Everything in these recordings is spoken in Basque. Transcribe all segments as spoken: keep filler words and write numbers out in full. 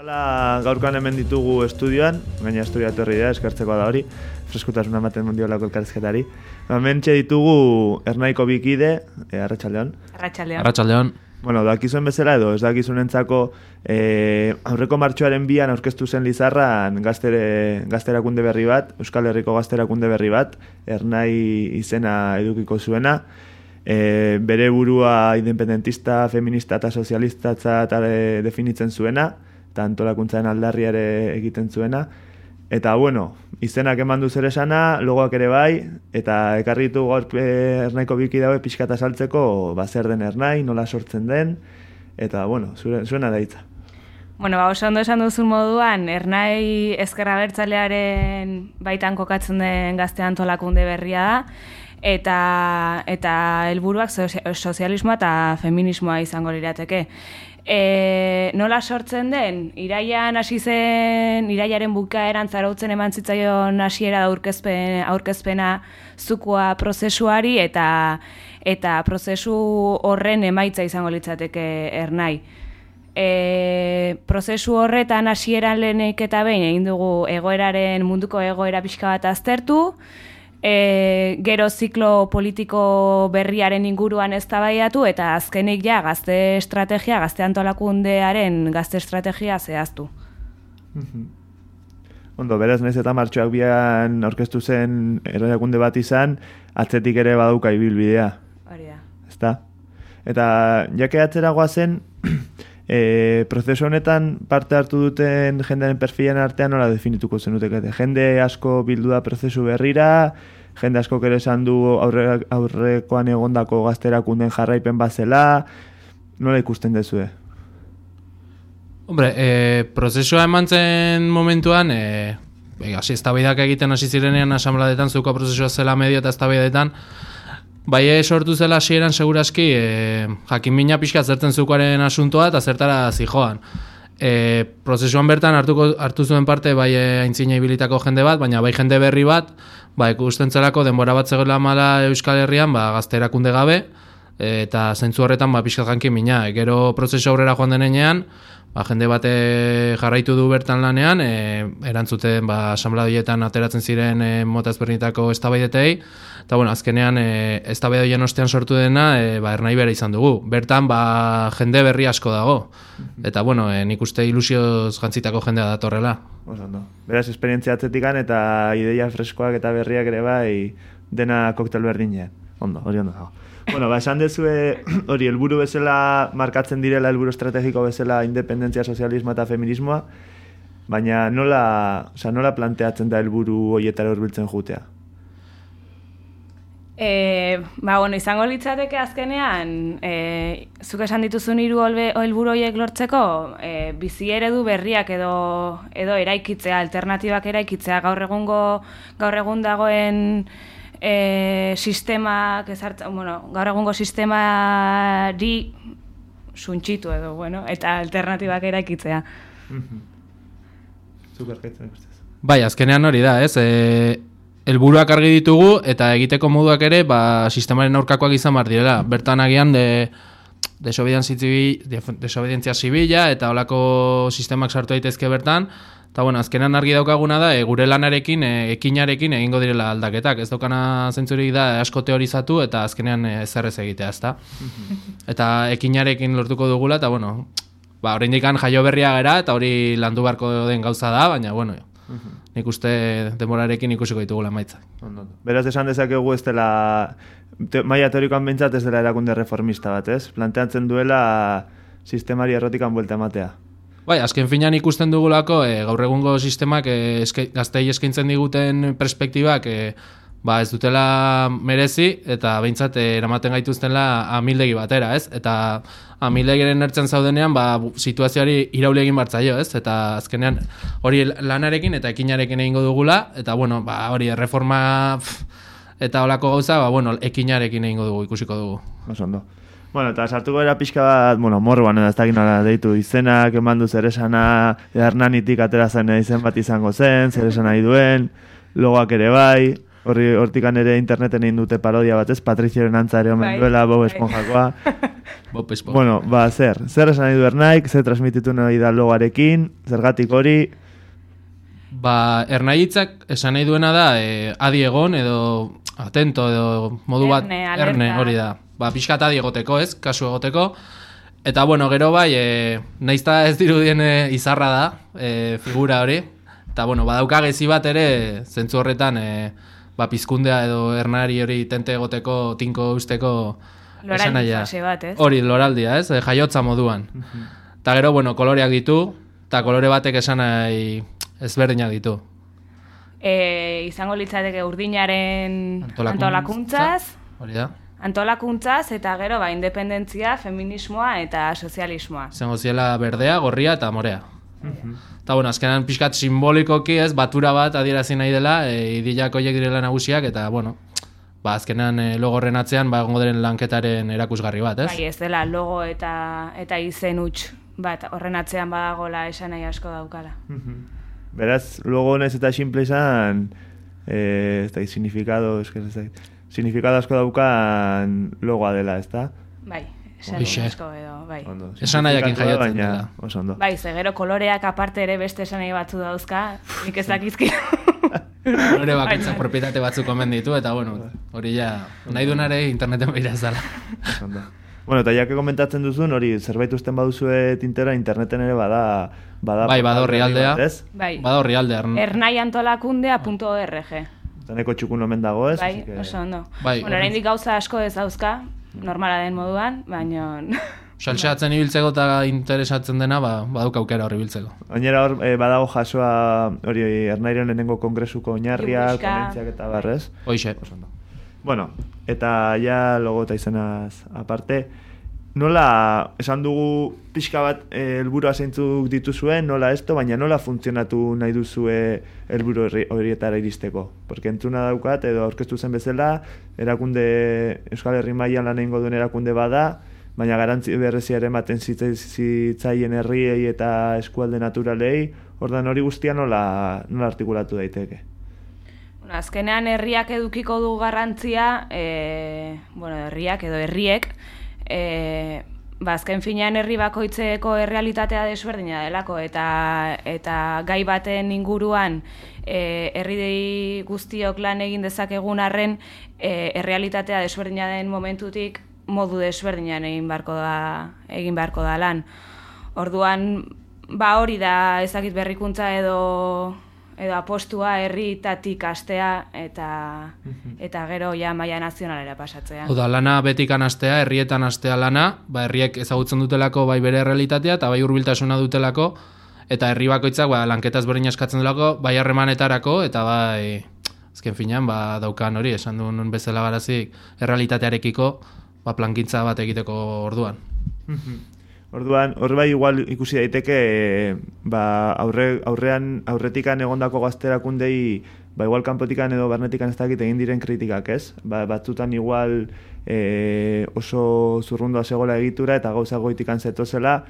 Hala, gaurkoan hemen ditugu estudioan, gaina estudia etorri da, eskartzeko da hori, freskutasuna ematen mundiolako elkarrizketari. Hementxe ditugu Ernaiko bikide, e, Arratsaldeon. Arratsaldeon. Arratsaldeon. Bueno, dakizuen bezala edo ez dakizunentzako e, aurreko martxoaren bian aurkeztu zen Lizarran gaztere, gazterakunde berri bat, Euskal Herriko gazterakunde berri bat, Ernai izena edukiko zuena. E, bere burua independentista, feminista eta sozialista e, definitzen zuena, eta antolakuntzaren aldarriare egiten zuena. Eta, bueno, izenak eman du zer esana, logoak ere bai, eta ekarri ditu gaur e, Ernaiko biki daue pixka eta saltzeko, ba, zer den Ernai, nola sortzen den, eta, bueno, zure, zuena da hitza. Bueno, ba, oso ondo esan duzun moduan, Ernai ezker abertzalearen baitan kokatzen den gazte antolakunde berria da, eta eta helburuak sozialismoa eta feminismoa izango lirateke. E, nola sortzen den, iraian hasi zen, iraiaren bukaeran zarautzen eman zitzaion hasiera da aurkezpen, aurkezpena zukua prozesuari eta eta prozesu horren emaitza izango litzateke Ernai. E, prozesu horretan hasieran lehenik eta behin egin dugu egoeraren munduko egoera pixka bat aztertu, E, gero ziklo politiko berriaren inguruan eztabaidatu eta azkenik ja gazte estrategia, gazte antolakundearen gazte estrategia zehaztu. Ondo, beraz naiz eta martxoak bian aurkeztu zen erakunde bat izan, atzetik ere badauka ibilbidea. Hori da. Ezta? Eta jake atzeragoa zen, e, prozesu honetan parte hartu duten jendearen perfilen artean nola definituko zenutekete. Jende asko bildu da prozesu berrira, jende asko ere esan du aurre, aurrekoan egondako gazterakunden jarraipen bazela, nola ikusten dezue? Hombre, e, prozesua eman zen momentuan, e, hasi eztabaidak egiten hasi zirenean asanbladetan, zeuko prozesua zela medio eta eztabaidetan, bai sortu zela hasieran seguraski, e, jakin mina pixka zertzen zeukoaren asuntoa eta zertara zijoan. E, prozesuan bertan hartuko, hartu zuen parte bai aintzina ibilitako jende bat, baina bai jende berri bat, ba, ikusten zelako denbora bat zegoela mala Euskal Herrian, ba, gazte erakunde gabe, e, eta zentzu horretan ba, pixka jankin mina. E, gero prozesu aurrera joan denean, ba, jende bate jarraitu du bertan lanean, e, erantzuten ba, asanbladietan ateratzen ziren e, mota ezberdinetako eztabaidetei, eta bueno, azkenean e, eztabaidoien ostean sortu dena e, ba, Ernai bera izan dugu. Bertan ba, jende berri asko dago. Eta bueno, e, nik uste ilusioz jantzitako jendea datorrela. Ondo. Beraz, esperientzia atzetikan eta ideia freskoak eta berriak ere bai dena koktel berdinean. Ondo, hori ondo dago. Bueno, ba, esan dezue hori helburu bezala markatzen direla, helburu estrategiko bezala independentzia, sozialismoa eta feminismoa, baina nola, oza, nola planteatzen da helburu horietara hurbiltzen jutea? E, ba, bueno, izango litzateke azkenean, e, zuk esan dituzun hiru helburu horiek lortzeko, e, bizi eredu berriak edo edo eraikitzea, alternatibak eraikitzea, gaur egungo gaur egun dagoen e, sistemak ezartzen, bueno, gaur egungo sistemari suntxitu edo, bueno, eta alternatibak eraikitzea. Zuk erkaitzen ikustez. Bai, azkenean hori da, ez? E, helburuak argi ditugu eta egiteko moduak ere ba, sistemaren aurkakoak izan behar direla. Bertan agian de, desobedientzia zibila eta holako sistemak sartu daitezke bertan. Eta bueno, azkenean argi daukaguna da, e, gure lanarekin, e, ekinarekin egingo direla aldaketak. Ez daukana zentzurik da asko teorizatu eta azkenean ezer ez egitea, ezta? Eta ekinarekin lortuko dugula, eta bueno, ba, oraindikan jaio berria gara eta hori landu beharko den gauza da, baina bueno, nik uste denborarekin ikusiko ditugula emaitza. Beraz, esan dezakegu ez dela, te, maila teorikoan behintzat ez dela erakunde reformista bat, ez? Planteatzen duela sistemari errotikan buelta ematea. Bai, azken finean ikusten dugulako, e, gaur egungo sistemak e, eske, gaztei eskaintzen diguten perspektibak e, ba, ez dutela merezi, eta behintzat e, eramaten gaituztenla amildegi batera, ez? Eta amildegiren ertzen zaudenean, ba, situazioari irauli egin bartzaio, ez? Eta azkenean hori lanarekin eta ekinarekin egingo dugula, eta bueno, ba, hori erreforma eta holako gauza, ba, bueno, ekinarekin egingo dugu, ikusiko dugu. Osondo. Bueno, eta sartuko era pixka bat, bueno, morroan edo ez dakit nola deitu izenak, emandu zer esana, Hernanitik atera zen izen bat izango zen, zer esan nahi duen, logoak ere bai, horri hortikan ere interneten egin dute parodia bat, ez? Patrizioren antza ere omen duela, Bob Esponjakoa. Bopes, bopes. Bueno, ba, zer, zer esan nahi du Ernaik, zer transmititu nahi da logarekin, zergatik hori... Ba, Ernaitzak esan nahi duena da, e, adi egon edo atento edo modu bat, Erne, alerta. erne hori da. Ba, pixkat adi egoteko, ez, kasu egoteko. Eta, bueno, gero bai, e, naizta ez dirudien e, izarra da, e, figura hori. Eta, bueno, badauka gezi bat ere, zentzu horretan, e, ba, pizkundea edo ernari hori tente egoteko, tinko usteko esan Loraldi nahia. fase bat, ez? Hori, loraldia, ez, e, jaiotza moduan. Eta gero, bueno, koloreak ditu, eta kolore batek esan nahi ezberdinak ditu. E, izango litzateke urdinaren Antolakuntza. antolakuntzaz, Hori da. antolakuntzaz eta gero ba, independentzia, feminismoa eta sozialismoa. Izango ziela berdea, gorria eta morea. Eta bueno, azkenan pixkat simbolikoki ez, batura bat adierazi nahi dela, e, idilak horiek direla nagusiak, eta bueno, ba, azkenan e, logo horren atzean, ba, egongo diren lanketaren erakusgarri bat, ez? Bai, ez dela logo eta eta izen huts bat horren atzean badagola esan nahi asko daukala. Beraz, logo honez eta simple izan, eh, ez da, significado, ez que ez da, significado asko daukan logoa dela, ez da? Bai, esan Hoxe. nahi asko edo, bai. Ondo. Esan nahiakin Significatua, jaiotzen baina dela. Oso ondo. Bai, ze gero koloreak aparte ere beste esan nahi batzu dauzka, nik ez dakizki. Hore bakitzak propietate batzuk omen ditu, eta bueno, hori ja, nahi dunare interneten behira zala. Oso ondo. Bueno, eta jake komentatzen duzun, hori zerbait usten baduzue tintera, interneten ere bada... bada Bai, bada horri aldea. Ez? Bai, Bada horri alde, Ern- ernaiantolakundea punto org. Zaneko txukun omen dago, ez? Bai, Así que- oso ondo. Bai, Bueno, oraindik gauza asko ez dauzka, normala den moduan, baina... Saltxeatzen ibiltzeko eta interesatzen dena, ba, badauka aukera horri biltzeko. Oinera hor, eh, badago jasoa, hori, Ernairen lehenengo kongresuko oinarriak, Liburuxka. ponentziak eta barrez. Hoixe. Oso ondo. Bueno, eta ja logo eta izenaz aparte, nola, esan dugu pixka bat eh, helburua zeintzuk dituzuen, nola esto, baina nola funtzionatu nahi duzue helburu horri- horietara iristeko? Porque entzuna daukat, edo aurkeztu zen bezala, erakunde, Euskal Herri mailan lan egingo duen erakunde bada, baina garantzi berrezia ere ematen zitza- zitzaien herriei eta eskualde naturalei, ordan hori guztia nola, nola artikulatu daiteke? Bueno, azkenean herriak edukiko du garrantzia, e, bueno, herriak edo herriek, e, ba, azken finean herri bakoitzeko errealitatea desberdina delako, eta, eta gai baten inguruan e, herri guztiok lan egin dezakegun arren, e, errealitatea desberdina den momentutik modu desberdinan egin beharko da, egin beharko da lan. Orduan, ba hori da ezakit berrikuntza edo edo apostua herrietatik astea eta eta gero ja maila nazionalera pasatzea. Oda, lana betik anastea, herrietan astea lana, ba, herriek ezagutzen dutelako bai bere errealitatea eta bai hurbiltasuna dutelako, eta herri bakoitzak ba, lanketa ezberdina eskatzen delako, bai harremanetarako eta bai azken finean ba, daukan hori, esan duen bezala garazik errealitatearekiko ba, plankintza bat egiteko orduan. Orduan, hor bai igual ikusi daiteke e, ba, aurre, aurrean aurretikan egondako gazterakundei ba igual kanpotikan edo barnetikan ez dakit egin diren kritikak, ez? Ba, batzutan igual e, oso zurrundoa zegoela egitura eta gauza goitikan zetozela.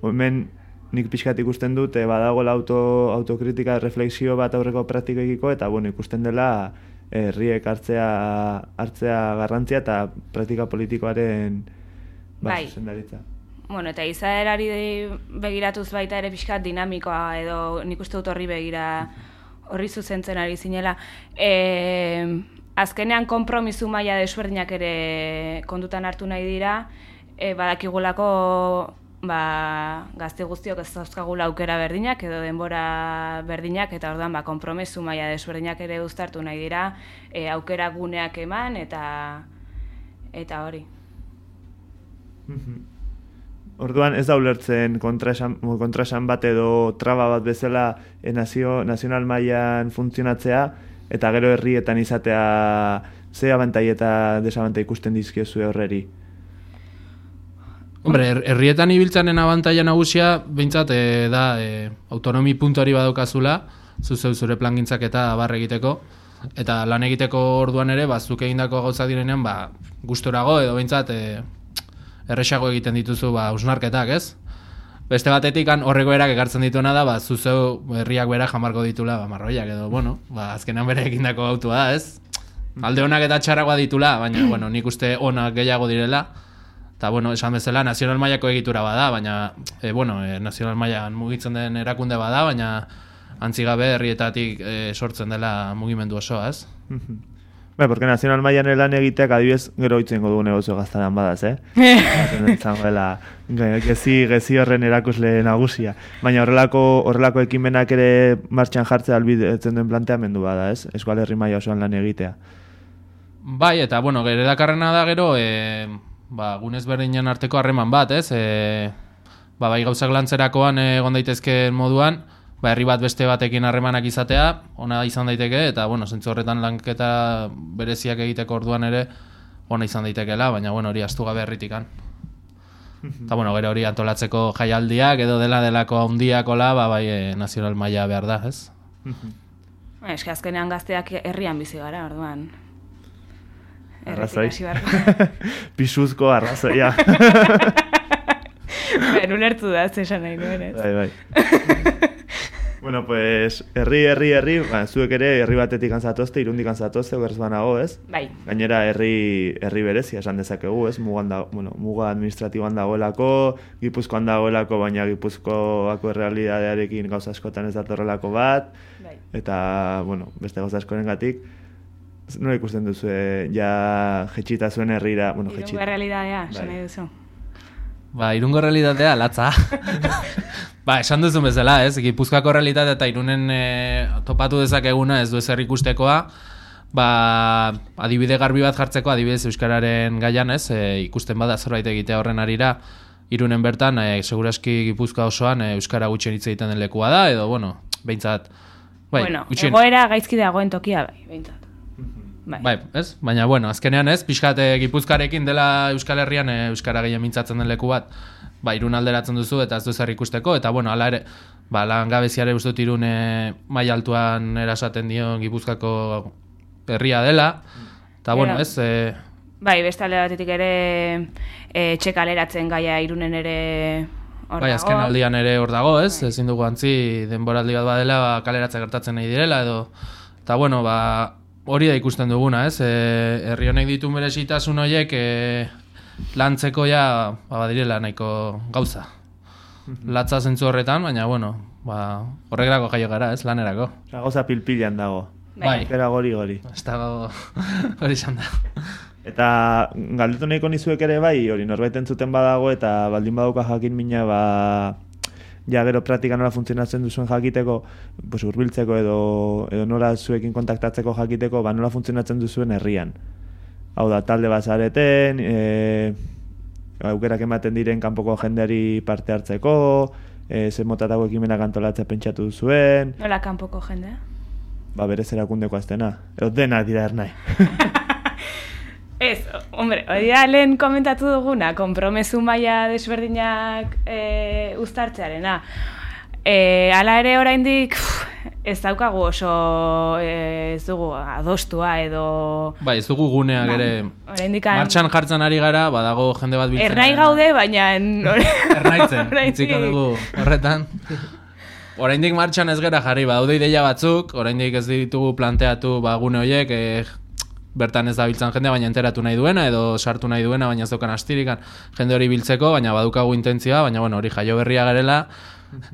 Hemen nik pixkat ikusten dut e, badagoela auto, autokritika, reflexio bat aurreko praktikekiko eta bueno, ikusten dela herriek hartzea hartzea garrantzia eta praktika politikoaren ba, Bai. zuzendaritza. Bueno, eta izaerari begiratuz baita ere pixkat dinamikoa edo nik uste dut horri begira horri zuzentzen ari zinela. E, azkenean konpromisu maila desberdinak ere kontutan hartu nahi dira, e, badakigulako ba, gazte guztiok ez dauzkagula aukera berdinak edo denbora berdinak, eta orduan ba, konpromisu maila desberdinak ere uztartu nahi dira, e, aukera guneak eman eta eta hori. Orduan ez da ulertzen kontraesan, kontraesan bat edo traba bat bezala e, nazio, nazional mailan funtzionatzea eta gero herrietan izatea ze abantai eta desabantai ikusten dizkiozue horreri. Hombre, her- herrietan ibiltzanen abantaila nagusia behintzat e, da e, autonomi puntuari badaukazula, zuzeu zure plangintzak eta barre egiteko, eta lan egiteko orduan ere, ba, zuk egindako gauzak direnean, ba, gustorago edo behintzat e, erresago egiten dituzu ba, usnarketak, ez? Beste batetik horreko erak ekartzen dituena da, ba, zuzeu herriak bera jamarko ditula, ba, marroiak edo, bueno, ba, azkenan bere egindako autua da, ez? Alde onak eta txarragoa ditula, baina, bueno, nik uste onak gehiago direla, Eta, bueno, esan bezala, nazional mailako egitura bada, baina, e, bueno, e, nazional mailan mugitzen den erakunde bada, baina antzigabe herrietatik e, sortzen dela mugimendu osoa, ez? Bai, porque nazional mailan lan egiteak adibidez gero itzengo dugu negozio gaztaran badaz, eh? Zango dela, gezi, gezi horren erakusle nagusia. Baina horrelako, horrelako ekimenak ere martxan jartzea albidetzen duen planteamendu bada, ez? Eskual herri maila osoan lan egitea. Bai, eta, bueno, gero dakarrena da gero, e, ba, gunez berdinen arteko harreman bat, ez? E, ba, bai gauzak lantzerakoan egon daitezkeen moduan, ba, herri bat beste batekin harremanak izatea, ona izan daiteke, eta, bueno, zentzu horretan lanketa bereziak egiteko orduan ere, ona izan daitekeela, baina, bueno, hori astu gabe herritikan. Eta, bueno, gero hori antolatzeko jaialdiak, edo dela delako handiakola, ba, bai, e, nazional maila behar da, ez? Ez, azkenean gazteak herrian bizi gara, orduan. Arrazoi. Pisuzko arrazoia. Ben, ulertu da, zesan nahi nuen, ez? Bai, bai. Bueno, pues, herri, herri, herri, ba, zuek ere herri batetik anzatozte, irundik anzatozte, gerz banago, ez? Bai. Gainera, herri, herri berezia esan dezakegu, ez? Mugan da, bueno, muga administratiboan dagoelako, Gipuzkoan dagoelako, baina Gipuzkoako errealidadearekin gauza askotan ez datorrelako bat, bai. Eta, bueno, beste gauza askorengatik, nola ikusten duzu, ja jetxita zuen herrira, bueno, jetxita. Irungo realidadea, esan nahi duzu. Ba, Irungo realitatea latza. Ba, esan duzun bezala, ez? Gipuzkoako realitatea eta Irunen e, topatu dezakeguna ez du ezer ikustekoa, ba, adibide garbi bat jartzeko, adibidez euskararen gaian, ez? E, ikusten bada zerbait egitea horren arira, Irunen bertan, e, seguraski Gipuzkoa osoan e, euskara gutxien hitz egiten den lekua da, edo, bueno, behintzat... Bai, bueno, gutxien... egoera gaizki dagoen tokia, bai, behintzat. Bai. Bai, ez? Baina, bueno, azkenean ez, pixkat e, Gipuzkarekin dela Euskal Herrian e, euskara gehien mintzatzen den leku bat, ba, Irun alderatzen duzu eta ez du zer ikusteko, eta, bueno, ala ere, ba, langabeziare uste dut Irun e, maila altuan erasaten dio Gipuzkako herria dela, eta, bueno, ez... E... Bai, beste alde batetik ere e, txekaleratzen gaia Irunen ere hor dago. Bai, azken aldian ere hor dago, ez? Bai. Ezin dugu antzi, denboraldi bat badela, ba, kaleratze gertatzen nahi direla, edo... Eta, bueno, ba... Hori da ikusten duguna, ez? E, herri honek ditu merezitasun horiek e, lantzeko ja ba, badirela nahiko gauza. Latza zentzu horretan, baina, bueno, ba, horregrako jaio gara, ez? Lanerako. Osa, gauza pilpilan dago. Bai. Era gori-gori. Ez dago hori izan da. Eta galdetu nahiko nizuek ere bai, hori norbait entzuten badago eta baldin badauka jakin mina, ba... ja gero praktika nola funtzionatzen duzuen jakiteko, pues hurbiltzeko edo edo nola zuekin kontaktatzeko jakiteko, ba nola funtzionatzen duzuen herrian. Hau da, talde bat zareten, e, aukerak ematen diren kanpoko jendeari parte hartzeko, e, ze motatako ekimenak antolatzea pentsatu duzuen. Nola kanpoko jendea? Ba berez erakundeko aztena. Edo dena dira ernai. Ez, hombre, hori da lehen komentatu duguna, konpromesu maila desberdinak e, uztartzearena. E, ala ere oraindik ez daukagu oso e, ez dugu adostua edo... Bai, ez dugu guneak ba, ere oraindikan... martxan jartzen ari gara, badago jende bat biltzen. Ernai gaude, baina... Ernaitzen, itziko dugu horretan. Oraindik martxan ez gara jarri, badaude ideia batzuk, oraindik ez ditugu planteatu ba, gune horiek, e, bertan ez da biltzen jendea, baina enteratu nahi duena, edo sartu nahi duena, baina ez daukan astirikan jende hori biltzeko, baina badukagu intentzioa, baina bueno, hori jaio berria garela,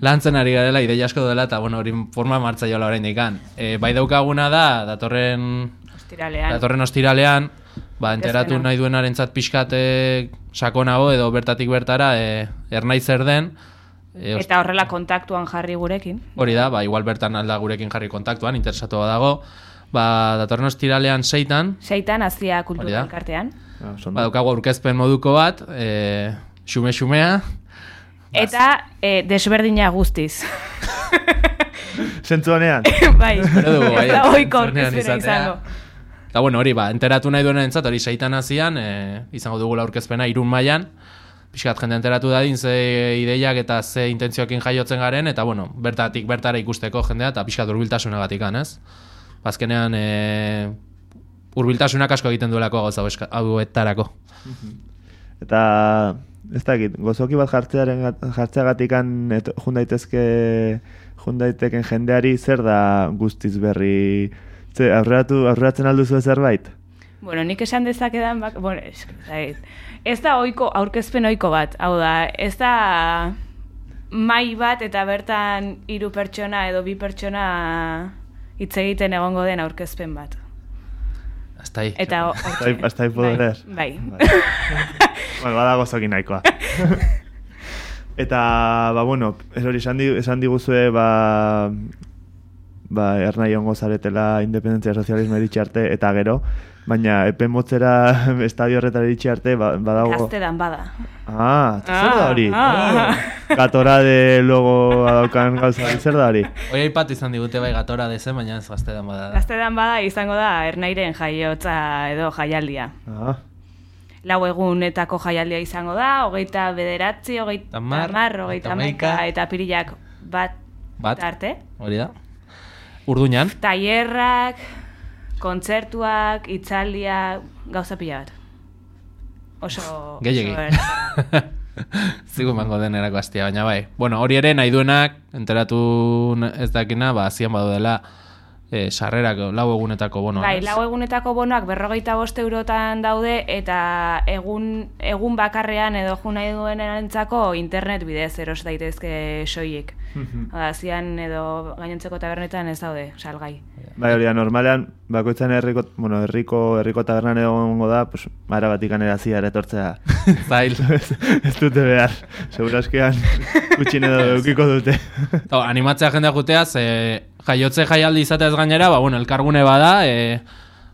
lantzen ari garela, ideia asko dela, eta bueno, hori forma martza jola oraindik kan. E, bai daukaguna da, datorren ostiralean, datorren ostiralean ba, enteratu nahi duenarentzat pixkate sakonago, edo bertatik bertara, e, ernai zer den, e, eta horrela kontaktuan jarri gurekin. Hori da, ba, igual bertan alda gurekin jarri kontaktuan, interesatu dago. Ba, datorren ostiralean seitan. Seitan, Azia Kultura Elkartean. Ba, daukagu aurkezpen moduko bat, e, xume-xumea. Eta e, desberdina guztiz. Zentzu honean. Bai, ez da oiko aurkezpena izango. Eta bueno, hori, ba, enteratu nahi duen entzat, hori seitan Azian, e, izango dugula aurkezpena Irun mailan. Pixkat jende enteratu dadin ze ideiak eta ze intentzioekin jaiotzen garen, eta bueno, bertatik bertara ikusteko jendea, eta pixkat hurbiltasunagatik, ez? Bazkenean e, hurbiltasunak asko egiten duelako gauza hauetarako. Eta ez dakit, gozoki bat jartzearen jartzeagatikan jun daitezke jun daiteken jendeari zer da guztiz berri, ze aurreratu aurreratzen alduzu zerbait? Bueno, nik esan dezakedan, bak, bueno, ez, ez da oiko, aurkezpen oiko bat, hau da, ez da mai bat eta bertan hiru pertsona edo bi pertsona hitz egiten egongo den aurkezpen bat. Hasta ahí. Eta hasta ahí, hasta ahí puedo leer. Bai. Bai. Bueno, badago zokin nahikoa. Eta, ba, bueno, ez hori esan, di, esan diguzue, ba, ba, ernai ongo zaretela independentzia sozialismo iritsi arte, eta gero, baina epe motzera estadio horretara iritsi arte, ba, badago... Gaztedan bada. Ah, zer da hori? Ah. Gatora de logo adaukan gauza, zer da hori? Hoi aipat izan digute bai gatora dezen, baina ez gaztedan bada. Gaztedan bada izango da ernairen jaiotza edo jaialdia. Ah. Lau egunetako jaialdia izango da, hogeita bederatzi, hogeita hamar, hogeita hamaika, eta pirilak bat, bat arte. Hori da. Urduñan. Tailerrak, kontzertuak, hitzaldiak, gauza pila bat. Oso... Gehiegi. Zigu mango denerako astia, baina bai. Bueno, hori ere nahi duenak, enteratu ez dakina, ba, zian badu dela, E, sarrerak lau egunetako bonoak. Bai, lau egunetako bonoak berrogeita bost eurotan daude eta egun, egun bakarrean edo jo nahi duenarentzako internet bidez eros daitezke soilik. Oda, zian edo gainontzeko tabernetan ez daude, salgai. Bai, hori da, normalean, bakoitzan herriko, bueno, herriko, herriko tabernan egongo da, pues, mara batik anerazia eretortzea. Zail. ez, ez dute behar, segurazkean kutxin edo eukiko dute. O, animatzea jendea juteaz, e, jaiotze jaialdi izateaz gainera, ba, bueno, elkargune bada, e,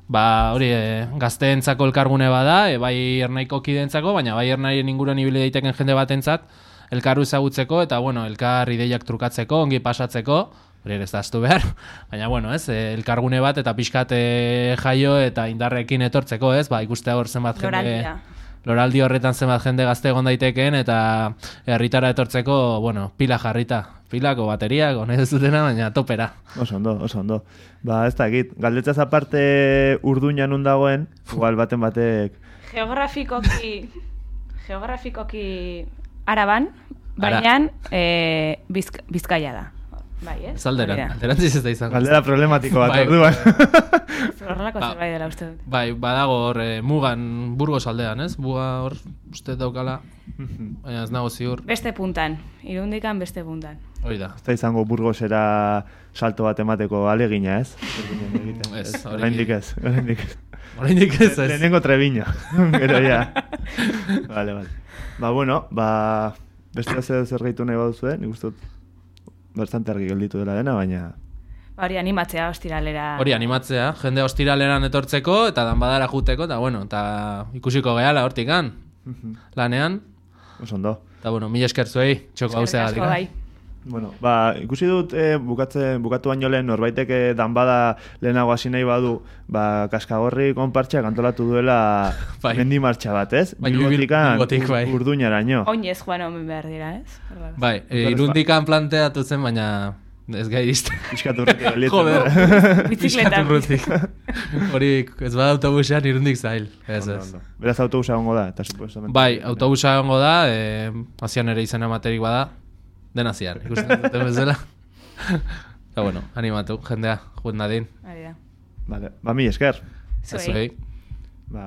ba, hori, e, gazteentzako elkargune bada, e, bai ernaiko kideentzako, baina bai ernaien inguruan ibili daiteken jende batentzat, elkarru ezagutzeko, eta, bueno, elkar ideiak trukatzeko, ongi pasatzeko, hori ez da aztu behar, baina, bueno, ez, e, elkargune bat, eta pixkat e, jaio, eta indarrekin etortzeko, ez, ba, ikustea hor zenbat jende... Loraldia. Loraldi horretan zenbat jende gazte egon daiteken, eta herritara etortzeko, bueno, pila jarrita. Pilako bateriak, honez ez dutena, baina topera. Oso ondo, oso ondo. Ba, ez dakit, galdetzaz aparte Urduñan nun dagoen, igual baten batek... Geografikoki, geografikoki Araban, baina e, bizk, Bizkaia da. Bai, ez? Zalderan, alderantziz ez da izan. Galdera problematiko bat, bai, orduan. Horrelako ba, zerbait dela uste dut. Bai, badago hor, e, mugan, Burgos aldean, ez? Muga hor, uste daukala, baina ez nago ziur. Beste puntan, Irundikan beste puntan. Hori da. Ez da izango Burgosera salto bat emateko alegina, ez? Ez, hori... Oraindik ez, oraindik ez. Oraindik ez, ez. Lehenengo Treviño, gero ya. Vale, vale. Ba, bueno, ba, beste zer zer gehitu nahi baduzue, nik uste dut bastante argi gelditu dela dena, baina... Ba, hori animatzea ostiralera... Hori animatzea, jende ostiraleran etortzeko, eta danbadara juteko, eta bueno, eta ikusiko gehala hortikan, lanean. Oso ondo. Eta bueno, mila esker zuei, txoko hau Eskerrik asko, bai. Bueno, ba, ikusi dut eh, bukatze, bukatu baino lehen norbaitek eh, danbada lehenago hasi nahi badu, ba, Kaskagorri konpartxak antolatu duela bai. mendi martxa bat, ez? Bai, Bilbotikan Bilbotik, bai. Urduñaraino. Oinez joan omen behar dira, ez? Bai, e, Irundikan planteatu zen, baina ez gai izte. Piskat urrutik gelditzen. Joder, Bizikletan. urrutik. Hori, ez bada autobusean Irundik zail. Ez, Ondo, ez. ondo. Beraz autobusa gongo da, eta supuestamente. Bai, autobusa egongo da, e, azian ere izena materik bada, dena zian, ikusten duten bezala. Eta bueno, animatu, jendea, jut nadin. Hori da. Vale, ba, mi esker. Zuei. Zuei. Ba,